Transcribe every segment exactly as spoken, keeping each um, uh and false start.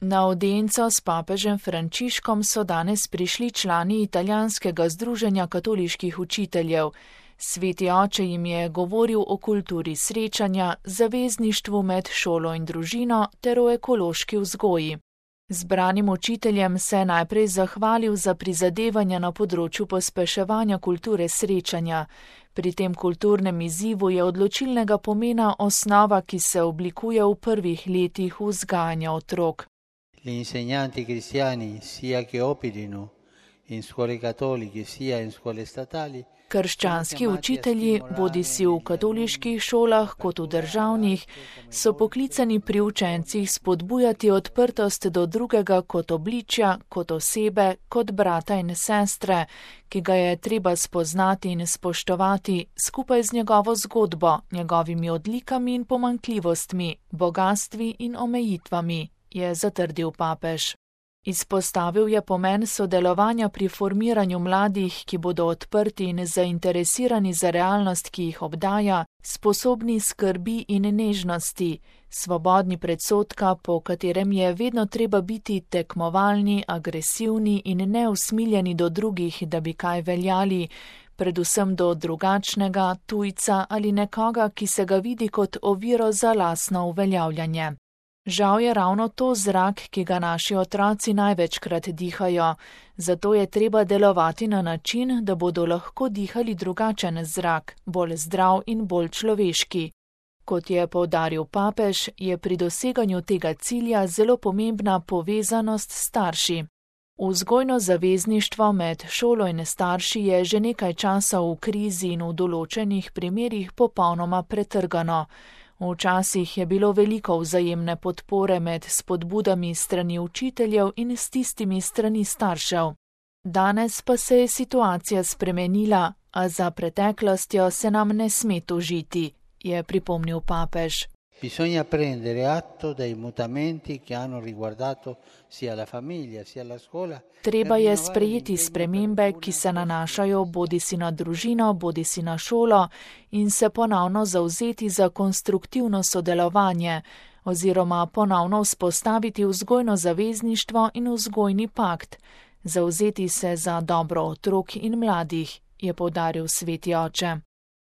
Na audienco s papežem Frančiškom so danes prišli člani italijanskega združenja katoliških učiteljev. Sveti oče jim je govoril o kulturi srečanja, zavezništvu med šolo in družino ter o ekološki vzgoji. Zbranim učiteljem se je najprej zahvalil za prizadevanja na področju pospeševanja kulture srečanja. Pri tem kulturnem izzivu je odločilnega pomena osnova, ki se oblikuje v prvih letih vzgajanja otrok. Gli insegnanti cristiani, sia che operino in scuole cattoliche sia in scuole statali, Krščanski učitelji, bodisi v katoliških šolah kot v državnih, so poklicani pri učencih spodbujati odprtost do drugega kot obličja, kot osebe, kot brata in sestre, ki ga je treba spoznati in spoštovati skupaj z njegovo zgodbo, njegovimi odlikami in pomanjkljivostmi, bogastvi in omejitvami, je zatrdil papež. Izpostavil je pomen sodelovanja pri formiranju mladih, ki bodo odprti in zainteresirani za realnost, ki jih obdaja, sposobni skrbi in nežnosti, svobodni predsodka, po katerem je vedno treba biti tekmovalni, agresivni in neusmiljeni do drugih, da bi kaj veljali, predvsem do drugačnega, tujca ali nekoga, ki se ga vidi kot oviro za lastno uveljavljanje. Žal je ravno to zrak, ki ga naši otroci največkrat dihajo, zato je treba delovati na način, da bodo lahko dihali drugačen zrak, bolj zdrav in bolj človeški. Kot je poudaril papež, je pri doseganju tega cilja zelo pomembna povezanost s starši. Vzgojno zavezništvo med šolo in starši je že nekaj časa v krizi in v določenih primerih popolnoma pretrgano. Včasih je bilo veliko vzajemne podpore med spodbudami strani učiteljev in s tistimi strani staršev. Danes pa se je situacija spremenila, a za preteklostjo se nam ne sme tožiti, je pripomnil papež. Bisogna prendere atto dei mutamenti che hanno riguardato sia la famiglia sia la scuola. Treba je sprejeti spremembe, ki se nanašajo bodisi na družino, bodisi na šolo in se ponovno zavzeti za konstruktivno sodelovanje oziroma ponovno vzpostaviti vzgojno zavezništvo in vzgojni pakt, zavzeti se za dobro otrok in mladih, je poudaril sveti oče.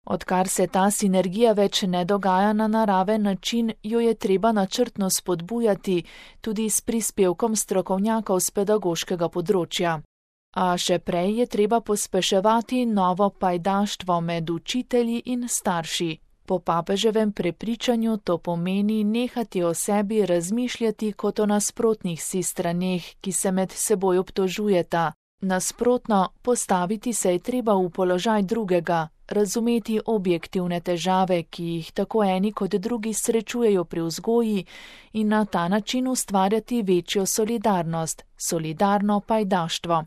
Odkar se ta sinergija več ne dogaja na naraven način, jo je treba načrtno spodbujati tudi s prispevkom strokovnjakov z pedagoškega področja. A še prej je treba pospeševati novo pajdaštvo med učitelji in starši. Po papeževem prepričanju to pomeni nehati o sebi razmišljati kot o nasprotnih si straneh, ki se med seboj obtožujeta. Nasprotno, postaviti se je treba v položaj drugega, razumeti objektivne težave, ki jih tako eni kot drugi srečujejo pri vzgoji in na ta način ustvarjati večjo solidarnost, solidarno pajdaštvo.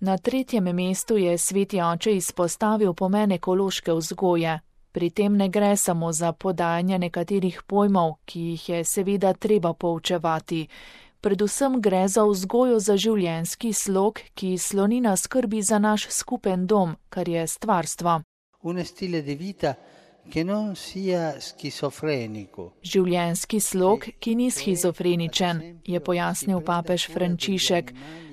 Na tretjem mestu je sveti oče izpostavil pomen ekološke vzgoje. Pri tem ne gre samo za podajanje nekaterih pojmov, ki jih je seveda treba poučevati. Predvsem gre za vzgojo za življenjski slog, ki sloni na skrbi za naš skupen dom, kar je stvarstvo. Un stile di vita che non sia schizofrenico. Življenjski slog, ki ni schizofreničen, je pojasnil papež Frančišek.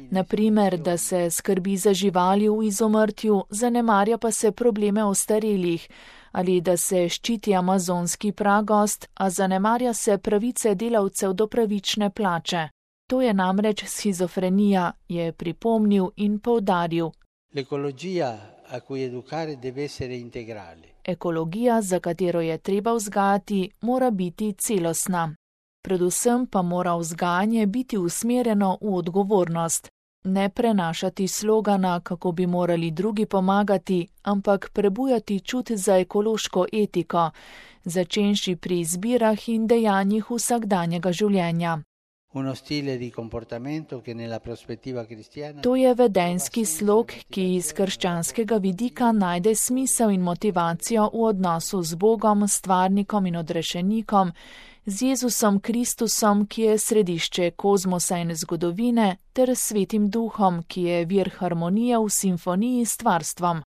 Naprimer, da se skrbi za živali v izumrtju, zanemarja pa se probleme ostarelih, ali da se ščiti amazonski pragost, a zanemarja se pravice delavcev do pravične plače. To je namreč schizofrenija, je pripomnil in poudaril. L'ecologia a cui educare deve essere integrale. Ekologija, za katero je treba vzgajati, mora biti celostna. Predvsem pa mora vzgajanje biti usmerjeno v odgovornost. Ne prenašati slogana, kako bi morali drugi pomagati, ampak prebujati čut za ekološko etiko, začenši pri izbirah in dejanjih vsakdanjega življenja. Uno stile di comportamento che nella prospettiva cristiana. To je vedenjski slog, ki iz krščanskega vidika najde smisel in motivacijo v odnosu z Bogom, stvarnikom in odrešenikom, z Jezusom Kristusom, ki je središče kozmosa in zgodovine, ter Svetim Duhom, ki je vir harmonije v simfoniji s stvarstvom.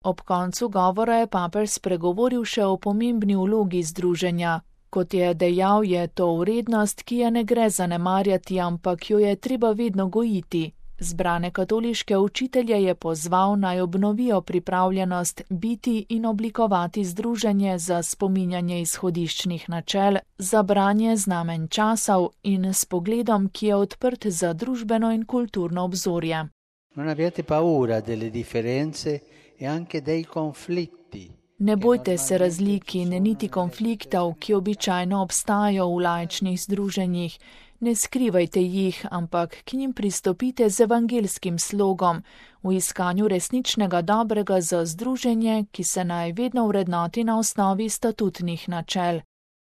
Ob koncu govora je papež spregovoril še o pomembni vlogi združenja. Kot je dejal, je to vrednost, ki je ne gre zanemarjati, ampak jo je treba vedno gojiti. Zbrane katoliške učitelje je pozval, naj obnovijo pripravljenost biti in oblikovati združenje za spominjanje izhodiščnih načel, za branje znamenj časov in s pogledom, ki je odprt za družbeno in kulturno obzorje. Non abbiate paura delle differenze e anche dei conflitti. Ne bojte se razlik in niti konfliktov, ki običajno obstajajo v laičnih združenjih. Ne skrivajte jih, ampak k njim pristopite z evangelskim slogom, v iskanju resničnega dobrega za združenje, ki se naj vedno vrednoti na osnovi statutnih načel.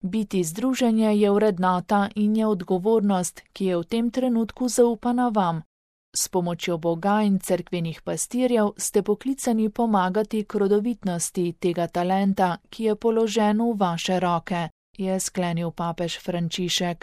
Biti združenje je vrednota in je odgovornost, ki je v tem trenutku zaupana vam. S pomočjo Boga in cerkvenih pastirjev ste poklicani pomagati k rodovitnosti tega talenta, ki je položen v vaše roke, je sklenil papež Frančišek.